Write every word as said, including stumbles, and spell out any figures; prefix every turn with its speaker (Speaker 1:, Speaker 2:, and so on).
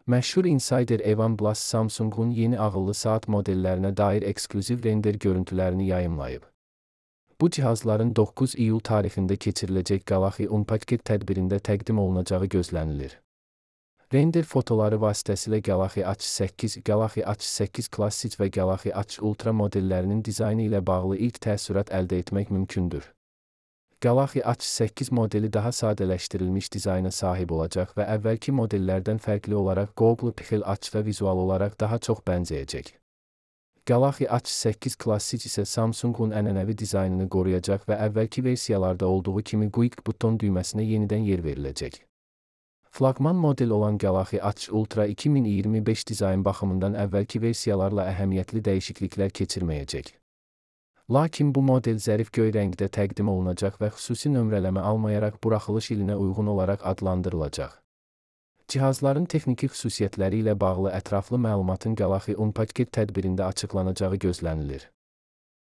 Speaker 1: Məşhur insider Evan Blass Samsung'un yeni ağıllı saat modellərinə dair eksklüziv render görüntülərini yayımlayıb. Bu cihazların doqquz iyul tarixində keçiriləcək Galaxy Unpacked tədbirində təqdim olunacağı gözlənilir. Render fotoları vasitəsilə Galaxy A səkkiz, Galaxy A səkkiz Classic və Galaxy A Ultra modellərinin dizaynı ilə bağlı ilk təəssürat əldə etmək mümkündür. Galaxy A səkkiz modeli daha sadələşdirilmiş dizayna sahib olacaq və əvvəlki modellərdən fərqli olaraq Google Pixel aç və vizual olaraq daha çox bənzəyəcək. Galaxy A səkkiz Classic isə Samsung'un ənənəvi dizaynını qoruyacaq və əvvəlki versiyalarda olduğu kimi Quick buton düyməsinə yenidən yer veriləcək. Flaqman model olan Galaxy A Ultra iki min iyirmi beş dizayn baxımından əvvəlki versiyalarla əhəmiyyətli dəyişikliklər keçirməyəcək. Lakin bu model zərif göy rəngdə təqdim olunacaq və xüsusi nömrələmə almayaraq buraxılış ilinə uyğun olaraq adlandırılacaq. Cihazların texniki xüsusiyyətləri ilə bağlı ətraflı məlumatın Galaxy Unpacked tədbirində açıqlanacağı gözlənilir.